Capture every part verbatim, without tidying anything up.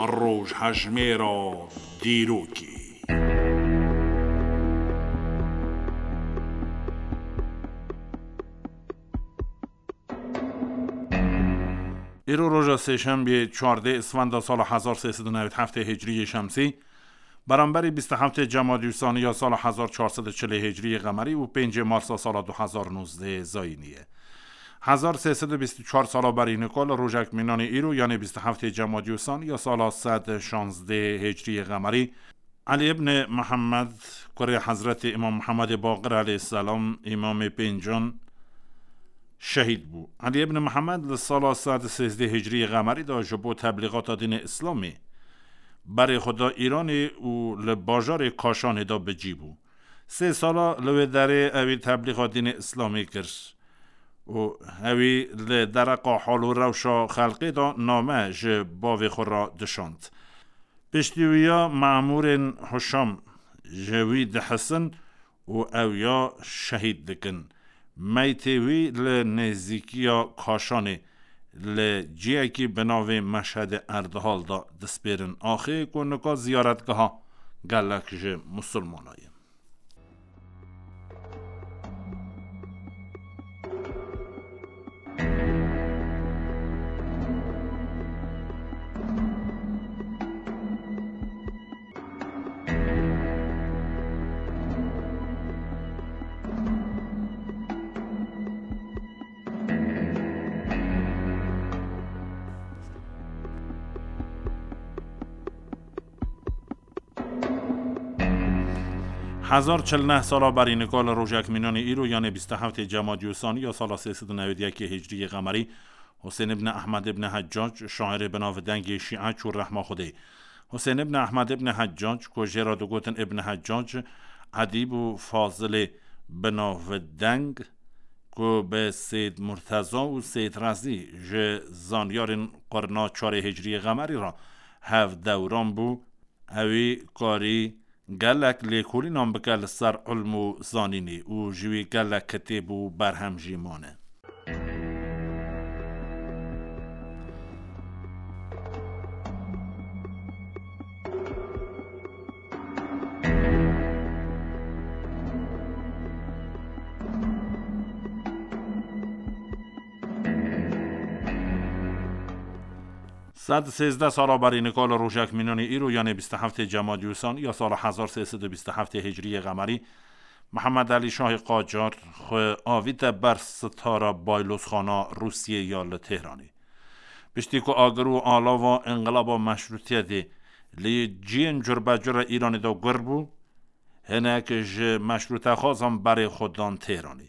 Rojhejmêra dîrokê. Îro roja sêşembiyê, çardeh Isfenda sala hezar sê sed û newî heftê Hicriyê Şemsî, beramberî bîst û heftê Cemadî Usani ya sala hezar çar sed û çilê Hicriyê Qemerî û pêncê Marsa sala du hezar nozdeh Zayînî ye. Hezar sê sed û bîst û çar sala berî nika li rojek mînanê îro, yanê bîst û heftê Cemadî Usani ya sala sed şazdeh Hicriyê Qemerî, Elî ibn Mihemed, kurê Hezretî Îmam Mihemedê Baqir aleyhisselam, Îmamê Pêncan, şehîd bû. Elî ibn Mihemed li sala sed û sêzdeh Hicriyê Qemerî de ji bo teblîxata dînê Îslamê berê xwe da Îranê û li bajarê Kaşanê de bi cî bû. Sê sala li wê derê ewî teblîxa dînê Îslamê kir û ewî li dereqa hal û rewşa xelkê de name ji bavê xwe re dişand. Piştî wî ya memûrên Huşam ji wî dihisin û ew ya şehîd dikin. Meytê wî li nêzîkiya Kaşanê li ciyekî bi navê Meşhedê Erdihal de dispêrin axê ku nika ziyaretgeha gelek ji Musulmana ye. Hezar çil neh sala berî nika li rojek mînanê îro, yanê bîst û heftê Cemadî Usani ya sala sê sed û newêd yekê Hicriyê Qemerî, Husên ibn Ehmed ibn Heccac, şairê binavdengê Şîe çû rehma Xwedê. Husên ibn Ehmed ibn Heccac, ku jê re digotin Ibn Heccac, edîb û fazilê binavdeng, ku bi Seyd Murteza û Seyd Rezî ji zanyarên qurna çarê Hicriyê Qemerî re hev dewran bû, ewî karî gelek lêkolînan bike li ser ilm û zanînê û ji wî gelek kitêb û berhem jî mane. Sed sêzdeh sala berî nika li rojek mînanê îro, yanê bîst û heftê Cemadî Usani ya sala hezar sê sed û bîst û heftê Hicriyê Qemerî, Mihemed Elî Şahê Qacar xwe avîte ber sitara Baylozxana Rûsiyê ya li Tehranê. Piştî ku agir û alava înqilaba meşrûtiyetê li ciyên curbecur a Îranê de gur bû, hinek ji meşrûtexwazan berê xwe dan Tehranê.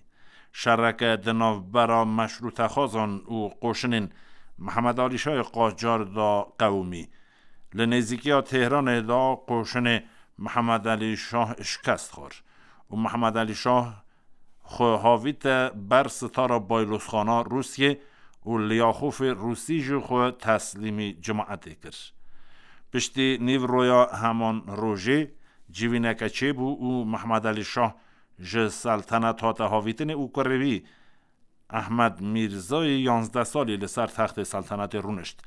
Şereke di navbera meşrûtexwazan û qoşinên Mihemed Alî Şahê Qacar de qewimî. Li nêzîkiya Tehranê de qoşinê Mihemed Alî Şah şikest xwar û Mihemed Alî Şah xwe havîte ber sitara Baylozxana Rûsiyê û Lyaxofê Rûsî jî xwe teslîmî cemaetê kir. Piştî nîvroya heman rojê civîneke çêbû û Mehmed Elî Şah ji seltenet hate havîtinê û kurê wî Ehmed Mîrzayê yanzdeh salî li ser textê seltenetê rûnişt.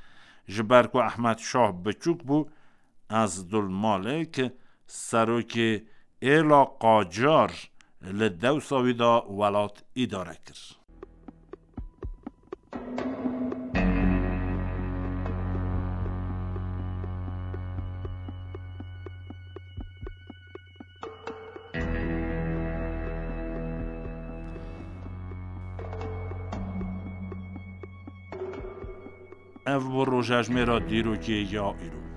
Ji ber ku Ehmed Şah biçûk bû, Ezdulmalik, serokê êla Qacar, li dewsa wî de welat îdare kir. Ev bû rojejmêra dîrokê ya îro.